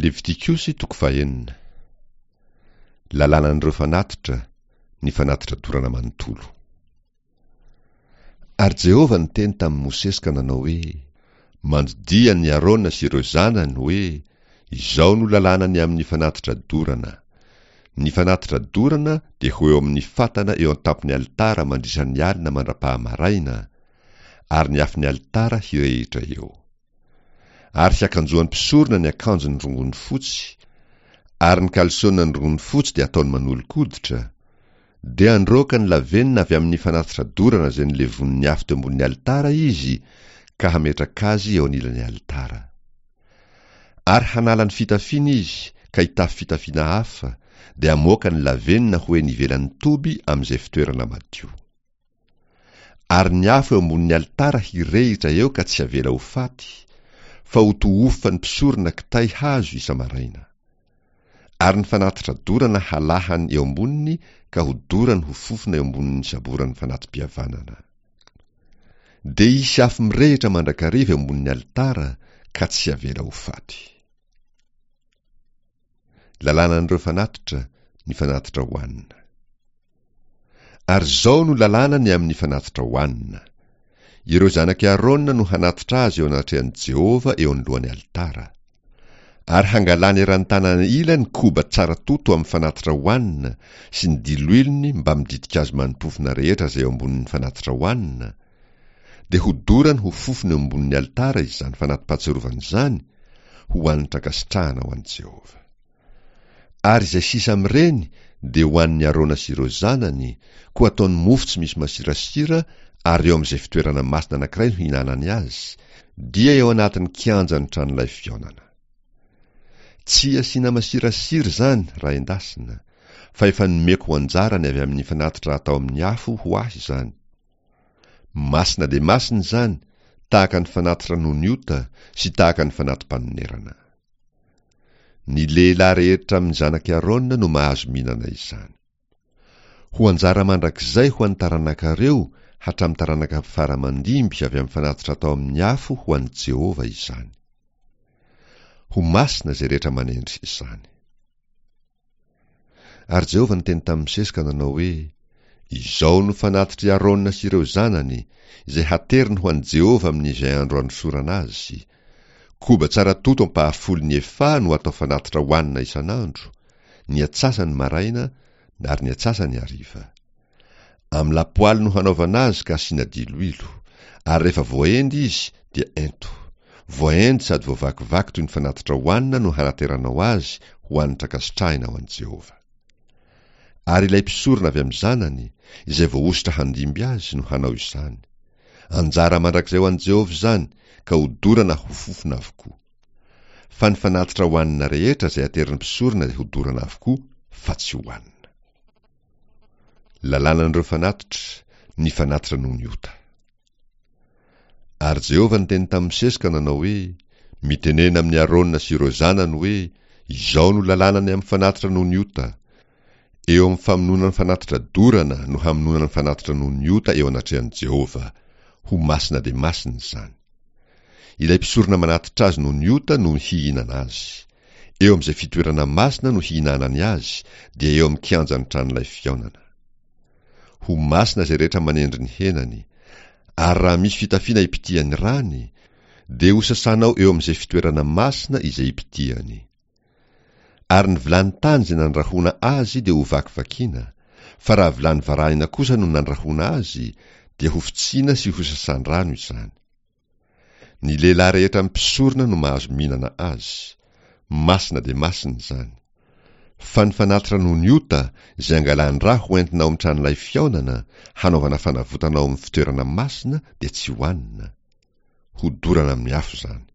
Levitikosy toko fahenina. Lalànan'ireo fanatitra, ny fanatitra dorana manontolo. Ary Jehovah niteny tamin'i Mosesy ka nanao hoe, Mandidia an'i Arona sy ireo zanany hoe, Izao no lalàna ny amin'ny fanatitra dorana. Ny fanatitra dorana dia ho eo amin'ny fatana eo an-tampon'ny alitara mandritra ny alina mandra-pahamaraina, ary ny afon'ny alitara hirehitra eo. Ary hiakanjoan'ny mpisorona ny akanjony rongony fotsy, ary ny kalsonany rongony fotsy dia ataony manolo-koditra, dia handroaka ny lavenona avy amin'ny fanatitra dorana izay nolevonin'ny afo teo ambonin'ny alitara izy ka hametraka azy eo anilan'ny alitara. Ary hanala ny fitafiany izy ka hitafy fitafiana hafa, dia hamoaka ny lavenona ho eny ivelan'ny toby amin'izay fitoerana madio. Ary ny afo eo ambonin'ny alitara hirehitra eo ka tsy havela ho faty, fa ho tohofan'ny mpisorona kitay hazo isa-maraina. Ary ny fanatitra dorana halahany eo amboniny ka hodorany ho fofona eo ambonin'ny saboran'ny fanati-pihavanana. Dia hisy afo mirehitra mandrakariva eo ambonin'ny alitara ka tsy havela ho faty. Lalànan'ireo fanatitra, ny fanatitra hohanina. Ary izao no lalàna ny amin'ny fanatitra hohanina, Ireo zanak'i Arona no hanatitra azy eo anatrehan'i Jehovah eo anoloan'ny alitara. Ary hangalany eran'ny tanana ila ny koba tsara toto amin'ny fanatitra hohanina sy ny diloilony mbamin'ny ditin-kazo mani-pofona rehetra izay eo ambonin'ny fanatitra hohanina, dia hodorany ho fofona eo ambonin'ny alitara izany fanati-pahatsiarovana izany, ho hanitra ankasitrahana ho an'i Jehovah. Ary izay sisa amin'ireny dia ho an'i Arona sy ireo zanany, koa ataony mofo tsy misy masirasira ary eo amin'izay fitoerana masina anankiray no hihinanany azy, dia eo anatin'ny kianjan'ny tranolay fihaonana. Tsy asiana masirasira izany raha endasina, fa efa nomeko ho anjarany avy amin'ny fanatitra atao amin'ny afo ho ahy izany. Masina dia masina izany, tahaka ny fanatitra noho ny ota sy tahaka ny fanati-panonerana. Ny lehilahy rehetra amin'ny zanak'i Arona no mahazo mihinana izany. Ho anjara mandrakizay ho an'ny taranakareo hatramin'ny taranaka fara aman-dimby avy amin'ny fanatitra atao amin'ny afo ho an'i Jehovah izany. Ho masina izay rehetra manendry izany. Ary Jehovah niteny tamin'i Mosesy ka nanao hoe, Izao no fanatitr'i Arona sy ireo zanany, izay hateriny ho an'i Jehovah amin'izay andro hanosorana azy, Koba tsara toto ampahafolon'ny efaha no atao fanatitra hohanina isan'andro, ny atsasany maraina ary ny atsasany hariva. Amin'ny lapoaly no hanaovana azy ka asiana diloilo, ary rehefa voaendy izy dia ento. Voaendy sady voavakivaky toy ny fanatitra hohanina no hanateranao azy ho hanitra ankasitrahina ho an'i Jehovah. Ary ilay mpisorona avy amin'ny zanany, izay voahosotra handimby azy, no hanao izany. Anjara mandrakizay ho an'i Jehovah izany, ka hodorana ho fofona avokoa. Fa ny fanatitra hohanina rehetra izay aterin'ny mpisorona dia hodorana avokoa, fa tsy hohanina. Lalànan'ireo fanatitra, ny fanatitra noho ny ota. Ary Jehovah niteny tamin'i Mosesy ka nanao hoe, Mitenena amin'i Arona sy ireo zanany hoe, Izao no lalàna ny amin'ny fanatitra noho ny ota, Eo amin'ny famonoana ny fanatitra dorana no hamonoana ny fanatitra noho ny ota eo anatrehan'i Jehovah. Ho masina dia masina izany. Ilay mpisorona manatitra azy noho ny ota no hihinana azy. Eo amin'izay fitoerana masina no hihinanany azy, dia eo amin'ny kianjan'ny tranolay fihaonana. Ho masina izay rehetra manendry ny henany. Ary raha misy fitafiana ipitihan'ny rany, dia hosasanao eo amin'izay fitoerana masina izay ipitihany. Ary ny vilany tany izay nandrahona azy dia hovakivakiana, fa raha vilany varahina kosa no nandrahona azy, dia hofotsiana sy hosasan-drano izany. Ny lehilahy rehetra mpisorona no mahazo mihinana azy. Masina dia masina izany. Fa ny fanatitra noho ny ota, izay angalan-dra ho entina ao amin'ny tranolay fihaonana, hanaovana fanavotana ao amin'ny fitoerana masina, dia tsy hohanina. Hodorana amin'ny afo izany.